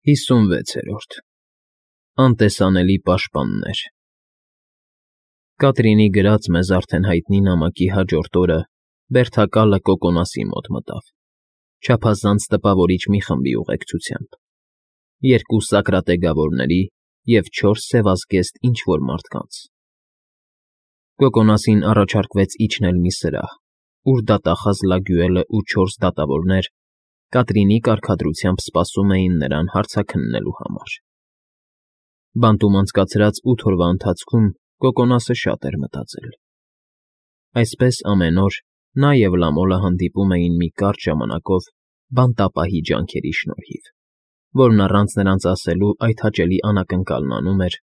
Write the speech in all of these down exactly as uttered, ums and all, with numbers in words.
ՀԻՍՈՒՆՎԵՑԵՐՈՐԴ ԱՆՏԵՍԱՆԵԼԻ ՊԱՇՊԱՆՆԵՐ Կատրինի գրած մեզ արդեն հայտնի նամակի հաջորդ օրը բերդակալը Կոկոնասի մոտ մտավ, չափազանց տպավորիչ մի խմբի ուղեկցությամբ, երկու սակրատեգավորների և չորս սևազգեստ ինչ֊որ մարդկանց։ Կոկոնասին առաջարկվեց իջնել մի սրահ, ուր դատախազ Լագյուելն ու չորս դատավորներ Կատրինի կարգադրությամբ սպասում էին նրան հարցաքննելու համար։ Բանտում անցկացրած ութ օրվա ընթացքում Կոկոնասը շատ էր մտածել։ Այսպես ամեն օր նա և Լամոլը հանդիպում էին մի կարճ ժամանակով բանտապահի ջանքերի շնորհիվ, որն առանց նրանց ասելու այդ հաճելի անակնկալն անում էր,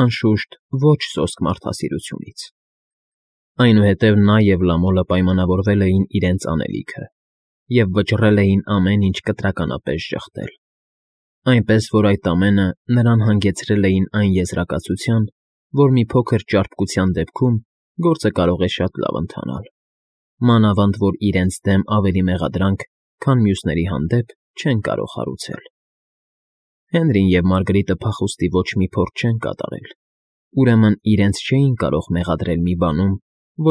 անշուշտ, ոչ սոսկ մարդասիրությունից։ Այնուհետև նա և Լամոլը պայմանավորվել էին իրենց անելիքը և վճռել էին ամեն ինչ կտրականապես ժխտել, այնպես որ այդ ամենը նրան հանգեցրել էին այն եզրակացության, որ մի փոքր ճարպկության դեպքում գործը կարող է շատ լավ ընթանալ, մանավանդ որ իրենց դեմ ավելի մեղադրանք, քան մյուսների հանդեպ չեն կարող հարուցել։ Հենրին և Մարգրիտը փախուստի ոչ մի փորձ չեն կատարել, ուրեմն իրենց չէին կարող մեղադրել մի բանում,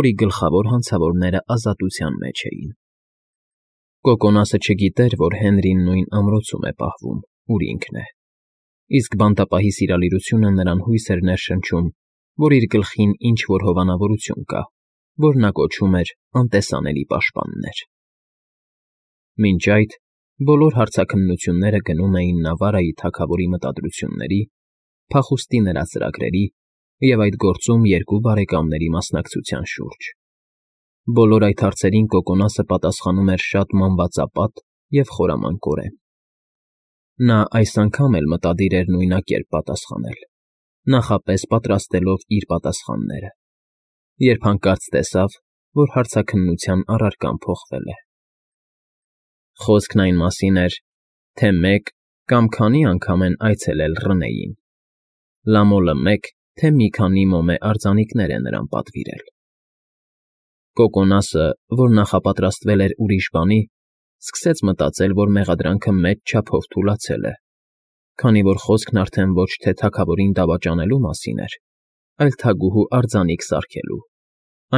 որի գլխավոր հանցավորները ազատության մեջ էին։ Կոկոնասը չգիտեր, որ Հենրին նույն ամրոցում է պահվում, ուր ինքն է, իսկ բանտապահի սիրալիրությունը նրան հույս էր ներշնչում, որ իր գլխին ինչ֊որ հովանավորություն կա, որ նա կոչում էր անտեսանելի պաշտպաններ։ Մինչ այդ բոլոր հարցաքննությունները գնում էին Նավարայի թագավորի մտադրությունների, փախուստի նրա ծրագրերի և այդ գործում երկու բարեկամների մասնակցության շուրջ։ Բոլոր այդ հարցերին Կոկոնասը պատասխանում էր շատ մանվածապատ և խորամանկորեն։ Նա այս անգամ էլ մտադիր էր նույնակերպ պատասխանել, նախապես պատրաստելով իր պատասխանները, երբ հանկարծ տեսավ, որ հարցաքննության առարկան փոխվել է։ Խոսքն այն մասին էր, թե մեկ կամ քանի անգամ են այցելել Ռնեին, Լամոլը մեկ, թե մի քանի մոմե արձանիկներ է նրան պատվիրել։ Կոկոնասը, որ նախապատրաստվել էր ուրիշ բանի, սկսեց մտածել, որ մեղադրանքը մեծ չափով թուլացել է, քանի որ խոսքն արդեն ոչ թե թագավորին դավաճանելու մասին էր, այլ թագուհու արձանիկ սարքելու,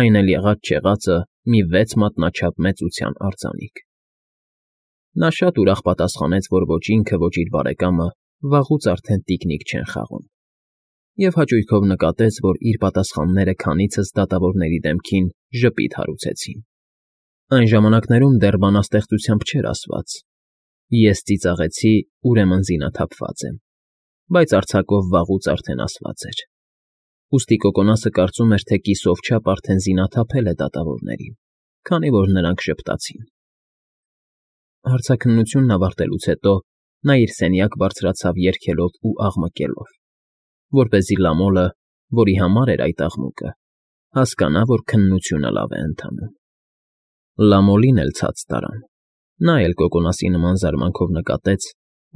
այն էլ եղած֊չեղածը մի վեց մատնաչափ մեծության արձանիկ։ Նա շատ ուրախ պատասխանեց, որ ոչ ինքը, ոչ իր բարեկամը վաղուց արդեն տիկնիկ չեն խաղում, և հաճույքով նկատեց, որ իր պատասխանները քանիցս դատավորների դեմքին ժպիտ հարուցեցին։ Այն ժամանակներում դեռ բանաստեղծությամբ չէր ասված. «Ես ծիծաղեցի, ուրեմն զինաթափված եմ», բայց արձակով վաղուց արդեն ասված էր։ Ուստի Կոկոնասը կարծում էր, թե կիսով չափ արդեն զինաթափել է դատավորներին, քանի որ նրանք ժպտացին։ Հարցաքննությունն ավարտելուց հետո նա իր սենյակ բարձրացավ երգելով ու աղմկելով, որպեսզի Լամոլը, որի համար էր այդ աղմուկը, հասկանա, որ քննությունը լավ է ընթանում։ Լամոլին էլ ցած տարան։ Նա էլ Կոկոնասի նման զարմանքով նկատեց,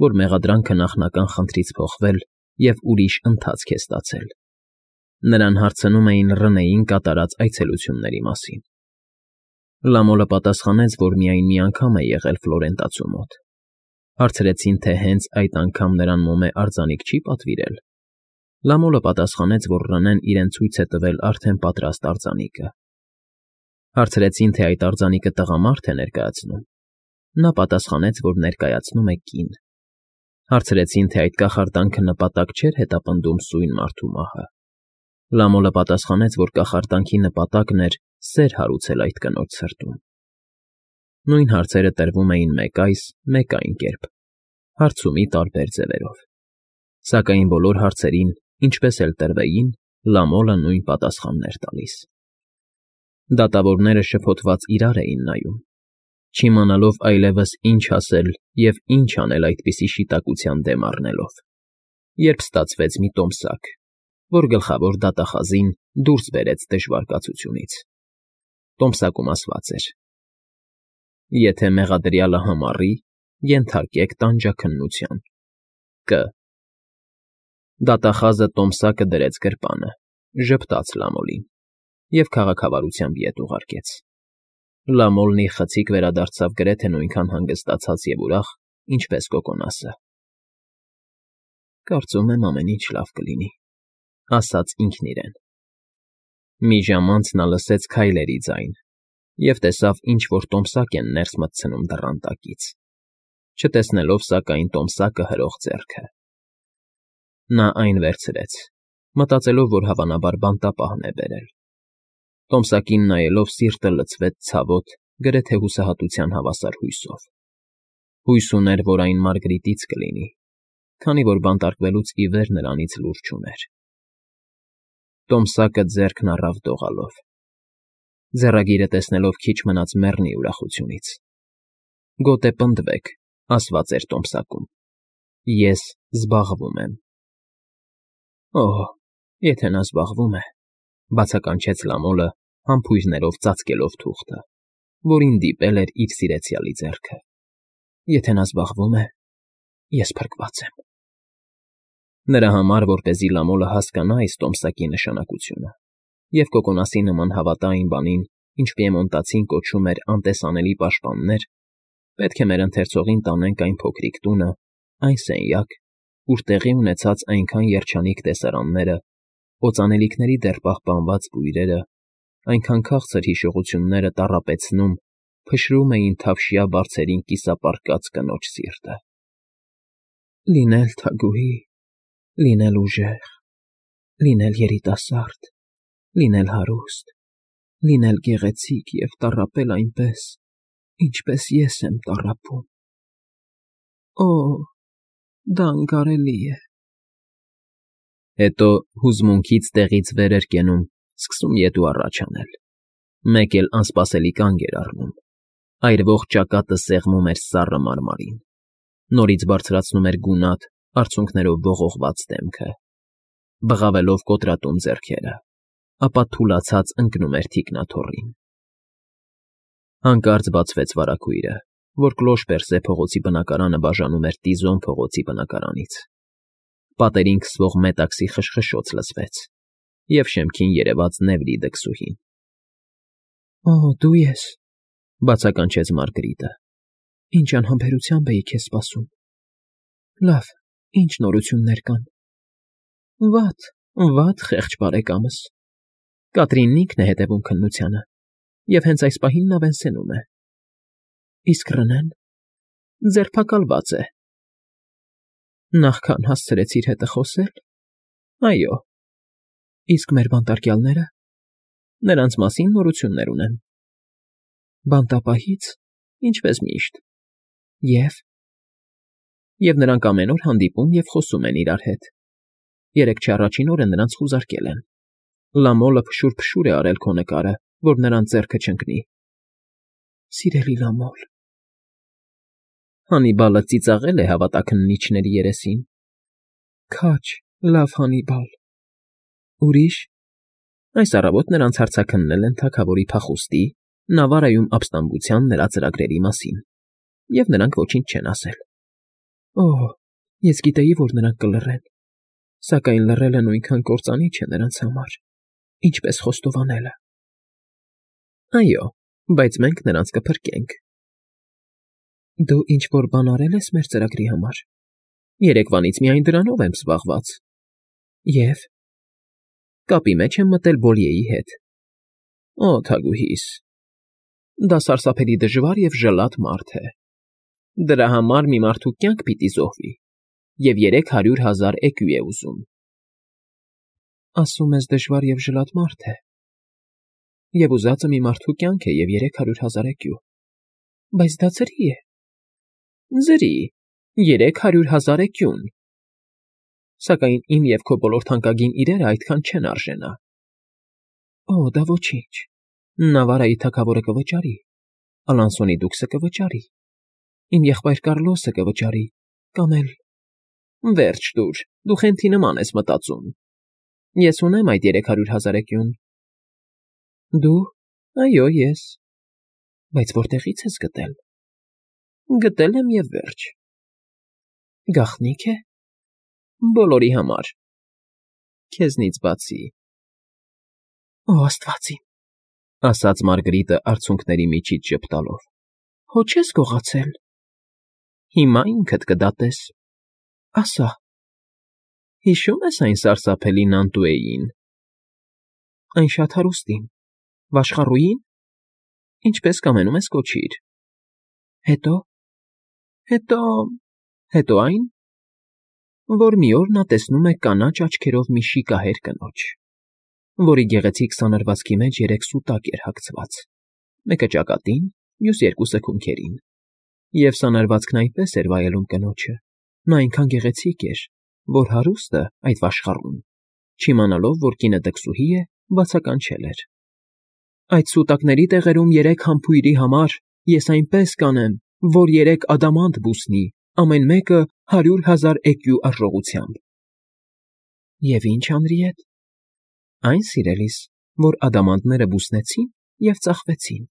որ մեղադրանքը նախնական խնդրից փոխվել և ուրիշ ընթացք է ստացել։ Նրան հարցնում էին Ռնեին կատարած այցելությունների մասին։ Լամոլը պատասխանեց, որ միայն մի անգամ է եղել Ֆլորենտացու մոտ։ Հարցրեցին, թե հենց այդ անգամ նրան մոմե արձանիկ չի պատվիրել։ Լամոլը պատասխանեց, որ Ռնեն իրեն ցույց է տվել արդեն պատրաստ արձանիկը։ Հարցրեցին, թե այդ արձանիկը տղամարդ է ներկայացնում։ Նա պատասխանեց, որ ներկայացնում է կին։ Հարցրեցին, թե այդ կախարդանքը նպատակ չէր հետապնդում սույն մարդու մահը։ Լամոլը պատասխանեց, որ կախարդանքի նպատակն էր սեր հարուցել այդ կնոջ սրտում։ Նույն հարցերը տրվում էին մեկ այս, մեկ այն կերպ, հարցումի տարբեր ձևերով։ Սակայն բոլոր հարցերին, ինչպես էլ տրվեին, Լամոլը նույն պատասխանն էր տալիս։ Դատավորները շփոթված իրար էին նայում, չիմանալով այլևս ինչ ասել և ինչ անել այդպիսի շիտակության դեմ առնելով, երբ ստացվեց մի տոմսակ, որ գլխավոր դատախազին դուրս բերեց դժվար կացությունից։ Տոմսակում ասված էր. «Եթե մեղադրյալը համառի, ենթարկեք տանջաքննության. Կ»։ Դատախազը տոմսակը դրեց գրպանը, ժպտաց Լամոլին և քաղաքավարությամբ ետ ուղարկեց։ Լամոլն իր խցիկ վերադարձավ գրեթե նույնքան հանգստացած և ուրախ, ինչպես Կոկոնասը։ Կարծում եմ ամեն ինչ լավ կլինի, ասաց ինքն իրեն։ Մի ժամ անց նա լսեց քայլերի ձայն և տեսավ ինչ֊որ տոմսակ են ներս մտցնում դռան տակից, չտեսնելով, սակայն, տոմսակը հրող ձեռքը։ Նա այն վերցրեց, մտածելով, որ հավանաբար բանտապահն է բերել։ Տոմսակին նայելով սիրտը լցվեց ցավոտ, գրեթե հուսահատության հավասար հույսով։ Հույս ուներ, որ այն Մարգրիտից կլինի, քանի որ բանտարկվելուց ի վեր նրանից լուր չուներ։ Տոմսակը ձեռքն առավ դողալով։ Ձեռագիրը տեսնելով քիչ մնաց մեռնի ուրախությունից։ Գոտե պնդվեք, ասված էր տոմսակում։ Ես զբաղվում եմ։ Օհ, եթե նա զբաղվում է, բացականչեց Լամոլը, համբույրներով ծածկելով թուղթը, որին դիպել էր իր սիրեցյալի ձեռքը։ Եթե նա զբաղվում է, ես փրկված եմ։ Նրա համար, որպեսզի Լամոլը հասկանա այս տոմսակի նշանակությունը և կոկոնասի նման հավատա այն բանին, ինչ պիեմոնտացին կոչում էր անտեսանելի պաշտպաններ, պետք է մեր ընթերցողին տանենք այն փոքրիկ տունը, այն սենյակ, ուր տեղի ունեցած այնքան երջանիկ տեսարանները, օծանելիքների դեռ պահպանված բույրերը, այնքան քաղցր հիշողությունները տառապեցնում, փշրում էին թավշյա բարձերին կիսապարկած կնոջ սիրտը։ Լինել թագուհի, լինել ուժեղ, լինել երիտասարդ, լինել հարուստ, լինել գեղեցիկ և տառապել այնպես, ինչպես ես եմ տառապում։ Օ՜, դա անկարելի է։ Հետո հուզմունքից տեղից վեր էր կենում, սկսում ետ ու առաջ անել։ Մեկ էլ անսպասելի կանգ էր առնում։ Այրվող ճակատը սեղմում էր սառը մարմարին, նորից բարձրացնում էր գունատ, արցունքներով ողողված դեմքը, բղավելով կոտրատում ձեռքերը, ապա թուլացած ընկնում էր թիկնաթոռին։ Հանկարծ բացվեց վարագույրը, որ Կլոշ֊Պերսե փողոցի բնակարանը բաժանում էր Տիզոն փողոցի բնակարանից։ Պատերին քսվող մետաքսի խշխշոց լսվեց, և շեմքին երևաց Նևրի դքսուհին։ Օ, դու ես, բացականչեց Մարգրիտը։ Ինչ անհամբերությամբ էի քեզ սպասում։ Լավ, ինչ նորություններ կան։ Վատ, վատ, խեղճ բարեկամս։ Կատրինն ինքն է հետևում քննությանը, և հենց այս պահին նա Վենսենում է։ Իսկ Ռնեն ձերբակալված է։ Նախքան հասցրեցիր հետը խոսել։ Այո։ Իսկ մեր բանտարկյալները։ Նրանց մասին նորություններ ունեմ։ Բանտապահից, ինչպես միշտ։ Եվ… Եվ նրանք ամեն օր հանդիպում և խոսում են իրար հետ։ Երեկ չառաջին օրը նրանց խուզարկել են։ Լամոլը փշուր֊փշուր է արել քո նկարը, որ նրանց ձեռքը չընկնի։ Սիրելի Լամոլ… Հանիբալը ծիծաղել է հավատաքննիչների երեսին։ Քաջ, լավ Հանիբալ։ Ուրիշ… Այս առավոտ նրանց հարցաքննել են թագավորի փախուստի, Նավարայում ապստամբության նրա ծրագրերի մասին, և նրանք ոչինչ չեն ասել։ Օհ, ես գիտեի, որ նրանք կլռեն, սակայն լռելը նույնքան կործանիչ է նրանց համար, ինչպես խոստովանելը։ Այո, բայց մենք նրանց կփրկենք։ Դու ինչ֊որ բան արել ես մեր ծրագրի համար։ Երեկվանից միայն դրանով եմ զբաղված։ Եվ… Կապի մեջ եմ մտել Բոլիեի հետ։ Օ, թագուհիս… Դա սարսափելի դժվար և ժլատ մարդ է։ Դրա համար մի մարդու կյանք պիտի զոհվի, և երեք հարյուր հազար էկու է ուզում։ Ասում ես դժվար և ժլատ մարդ է։ Եվ ուզածը մի մարդու կյանք է և երեք հարյուր հազար էկու։ Բայց դա ձրի է։ Ձրի, երեք հարյուր հազար էկուն։ Սակայն իմ և քո բոլոր թանկագին իրերը այդքան չեն արժենա։ Օ, դա ոչինչ։ Նավարայի թագավորը կվճարի, Ալանսոնի դուքսը կվճարի, իմ եղբայր Կարլոսը կվճարի, կամ էլ… Վերջ տուր, դու խենթի նման ես մտածում։ Ես ունեմ այդ երեք հարյուր հազար էկուն։ Դու… Այո, ես… Բայց որտեղի՞ց ես գտել։ Գտել եմ և վերջ։ Գաղտնի՞ք է։ Բոլորի համար։ Քեզնից բացի։ Օ, աստված իմ… Ասաց Մարգրիտը արցունքների միջից ժպտալով։ Հո չես գողացել։ Հիմա ինքդ կդատես։ Ասա։ Հիշո՞ւմ ես այն սարսափելի Նանտուեին։ Այն շատ հարուստին, վաշխառուի՞ին, ինչպես կամենում ես կոչիր։ Հետո՞, հետո, հետո այն, որ մի օր նա տեսնում է կանաչ աչքերով մի շիկահեր կնոջ, որի գեղեցիկ սանրվածքի մեջ երեք սուտակ էր հագցված, մեկը ճակատին, մյուս երկուսը քունքերին, և սանրվածքն այնպես էր վայելում կնոջը, նա այնքան գեղեցիկ էր, որ հարուստը, այդ վաշխառուն, չիմանալով, որ կինը դքսուհի է, բացականչել էր. Այդ սուտակների տեղերում երեք համբույրի համար ես այնպես կանեմ, որ երեք ադամանդ բուսնի, ամեն մեկը հարյուր հազար էկյու արժողությամբ։ Եվ ի՞նչ, Հանրիետ։ Այն, սիրելիս, որ ադամանդները բուսնեցին և ծախվեցին։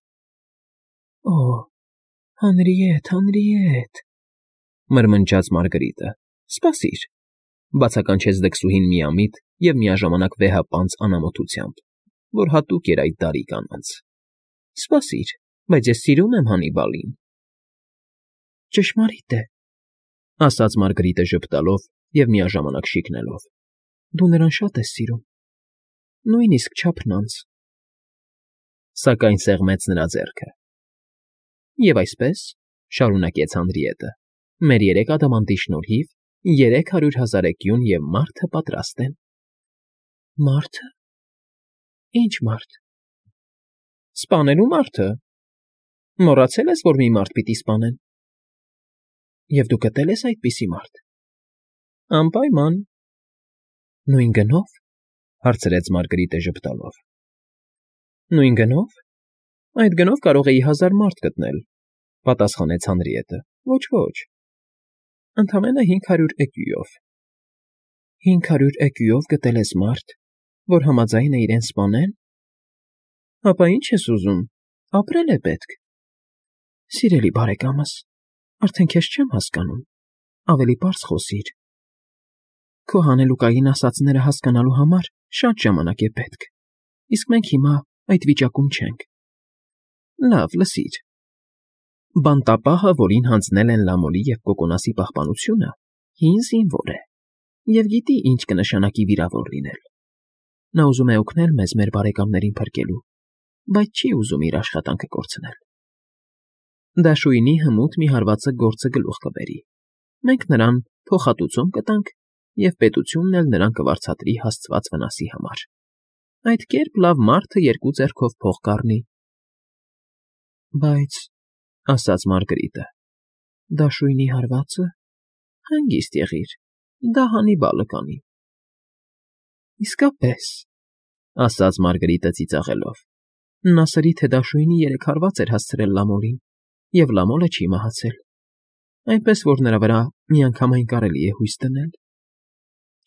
Օ, Հանրիետ, Հանրիետ, մրմնջաց Մարգրիտը, սպասիր, բացականչեց դքսուհին միամիտ և միաժամանակ վեհապանծ անամոթությամբ, որ հատուկ էր այդ դարի կանանց։ Սպասիր, բայց ես սիրում եմ Հանիբալին։ Ճշմարիտ է, ասաց Մարգրիտը ժպտալով և միաժամանակ շիկնելով, դու նրան շատ ես սիրում, նույնիսկ չափնանց։ Սակայն սեղմեց նրա ձեռքը։ Եվ այսպես, շարունակեց Հանրիետը, մեր երեք ադամանդի շնորհիվ երեք հարյուր հազար էկյուն և մարդը պատրաստ են։ Մարդը։ Ինչ մարդ։ Սպանելու մարդը։ Մոռացել ես, որ մի մարդ պիտի սպանեն։ Եվ դու գտել ես այդպիսի մարդ։ Անպայման։ Նույն գնո՞վ, հարցրեց Մարգրիտը ժպտալով։ Նույն գնով։ Այդ գնով կարող էի հազար մարդ գտնել, պատասխանեց Հանրիետը։ Ոչ, ոչ։ Ընդամենը հինգ հարյուր էկյուով։ Հինգ հարյուր էկյուով գտել ես մարդ, որ համաձայն է իրեն սպանել։ Ապա ի՞նչ ես ուզում, ապրել է պետք։ Սիրելի բարեկամս, արդեն քեզ չեմ հասկանում, ավելի պարզ խոսիր։ Քո հանելուկային ասածները հասկանալու համար շատ ժամանակ է պետք, իսկ մենք հիմա այդ վիճակում չենք։ Լավ, լսիր։ Բանտապահը, որին հանձնել են Լամոլի և Կոկոնասի պահպանությունը, հին զինվոր է և գիտի ինչ կնշանակի վիրավոր լինել։ Նա ուզում է օգնել մեզ մեր բարեկամներին փրկելու, բայց չի ուզում իր աշխատանքը կորցնել։ Դաշույնի հմուտ մի հարվածը գործը գլուխ կբերի։ Մենք նրան փոխհատուցում կտանք և պետությունն էլ նրան կվարձատրի հասցված վնասի համար։ Այդ կերպ լավ մարդը երկու ձեռքով փող կառնի։ Բայց, ասաց Մարգրիտը, դաշույնի հարվածը, հանգիստ եղիր, դա Հանիբալը կանի։ Իսկապես, ասաց Մարգրիտը ծիծաղելով, նա սրի թե դաշույնի երեք հարված էր հասցրել Լամոլին, և Լամոլը չի մահացել, այնպես որ նրա վրա միանգամայն կարելի է հույս դնել։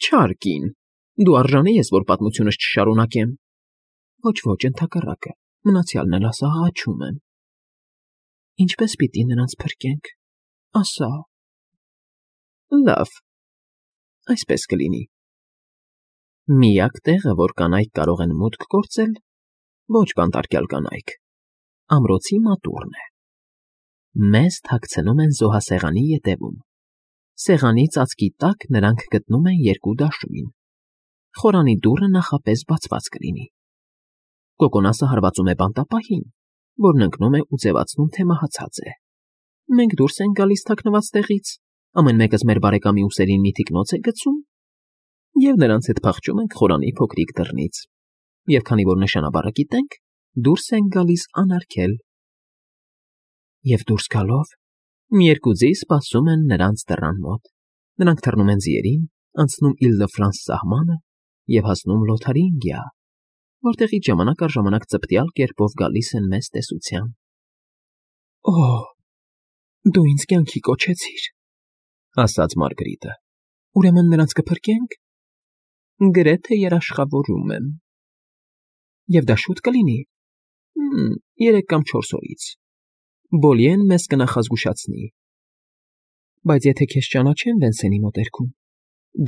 Չար կին, դու արժանի ես, որ պատմությունս չշարունակեմ։ Ոչ, ոչ, ընդհակառակը, մնացյալն էլ ասա, աղաչում եմ։ Ինչպես պիտի նրանց փրկենք, ասա։ Լավ, այսպես կլինի։ Միակ տեղը, որ կանայք կարող են մուտք գործել, ոչ բանտարկյալ կանայք, ամրոցի մատուռն է։ Մեզ թաքցնում են զոհասեղանի ետևում։ Սեղանի ծածկի տակ նրանք գտնում են երկու դաշույն։ Խորանի դուռը նախապես բացված կլինի։ Կոկոնասը հարվածում է բանտապահին, որն ընկնում է ու ձևացնում, թե մահացած է։ Մենք դուրս ենք գալիս թաքնված տեղից, ամեն մեկս մեր բարեկամի ուսերին մի թիկնոց է գցում, և նրանց հետ փախչում ենք խորանի փոքրիկ դռնից, և քանի որ նշանաբառը գիտենք, դուրս ենք գալիս անարգել։ Եվ դուրս գալով, մի երկու ձի սպասում են նրանց դռան մոտ, նրանք թռնում են ձիերին, անցնում Իլ֊դը֊Ֆրանս սահմանը և հասնում Լոթարինգիա, որտեղից ժամանակ առ ժամանակ ծպտյալ կերպով գալիս են մեզ տեսության։ Օ, դու ինձ կյանքի կոչեցիր, ասաց Մարգրիտը։ Ուրեմն նրանց կփրկենք։ Գրեթե երաշխավորում եմ։ Եվ դա շուտ կլինի։ Երեք կամ չորս օրից։ Բոլիեն մեզ կնախազգուշացնի։ Բայց եթե քեզ ճանաչեն Վենսենի մոտերքում,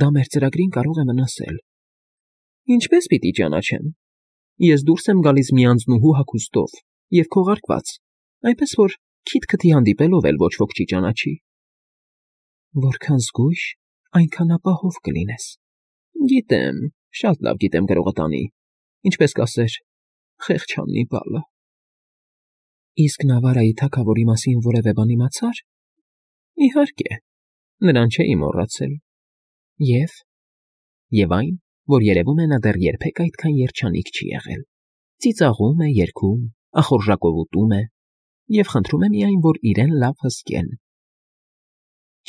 դա մեր ծրագրին կարող է վնասել։ Ինչպես պիտի ճանաչեն։ Ես դուրս եմ գալիս մի անձնուհու հագուստով և քողարկված, այնպես որ քիթ-քթի հանդիպելով էլ ոչ ոք չի ճանաչի։ Որքան զգույշ, այնքան ապահով կլինես, Գիտեմ, շատ լավ գիտեմ գրողը տանի, ինչպես կասեր, խեղճաննի բալը։ Իսկ Նավարայի թագավորի մասին որևէ բան իմացա՞ր։ Իհարկե, նրան չէի մոռացել։ Եվ… Եվ այն, որ երևում է նա դեռ երբեք այդքան երջանիկ չի եղել, ծիծաղում է, երգում, ախորժակով ուտում է և խնդրում է միայն, որ իրեն լավ հսկեն։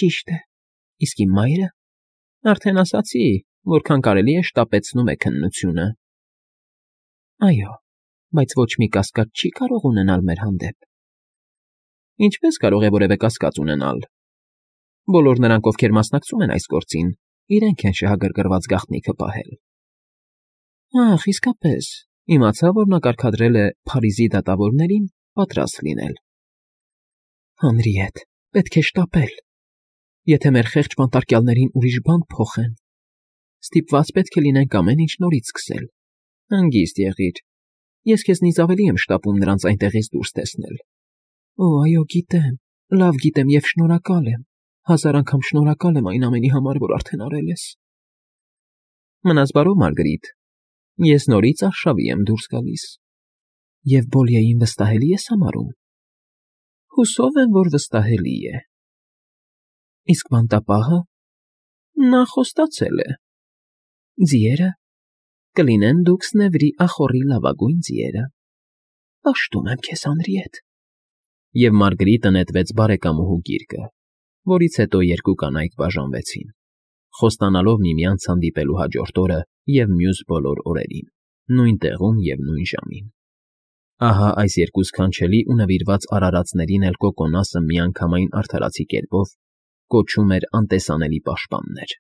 Ճիշտ է, իսկ իմ մայրը… Արդեն ասացի, որքան կարելի է շտապեցնում է քննությունը։ Այո, բայց ոչ մի կասկած չի կարող ունենալ մեր հանդեպ։ Ինչպե՞ս կարող է որևէ կասկած ունենալ։ Բոլոր նրանք, ովքեր մասնակցում են այս գործին, իրենք են շահագրգռված գաղտնիքը պահել։ Ախ, իսկապես, իմացա, որ նա կարգադրել է Փարիզի դատավորներին պատրաստ լինել։ Հանրիետ, պետք է շտապել։ Եթե մեր խեղճ բանտարկյալներին ուրիշ բան փոխեն, ստիպված պետք է լինենք ամեն ինչ նորից սկսել։ Հանգիստ եղիր, ես քեզնից ավելի եմ շտապում նրանց այնտեղից դուրս տեսնել։ Օ, այո, գիտեմ, լավ գիտեմ և շնորհակալ եմ, հազար անգամ շնորհակալ եմ այն ամենի համար, որ արդեն արել ես։ Մնաս բարով, Մարգարիտ, ես նորից արշավի եմ դուրս գալիս։ Եվ Բոլիեին վստահելի ես համարում։ Հուսով եմ, որ վստահելի է։ Իսկ բանտապահը… Նա խոստացել է։ Ձիերը… Կլինեն Դուքսնևրի ախոռի լավագույն ձիերը։ Պաշտում եմ քեզ, Հանրիետ։ Եվ Մարգարիտը նետվեց բարեկամուհու գիրկը, որից հետո երկու կանայք բաժանվեցին, խոստանալով միմյանց հանդիպելու հաջորդ օրը և մյուս բոլոր օրերին, նույն տեղում և նույն ժամին։ Ահա այս երկու սքանչելի ու նվիրված արարածներին էլ Կոկոնասը միանգամայն արդարացի կերպով կոչում էր անտեսանելի պաշտպաններ։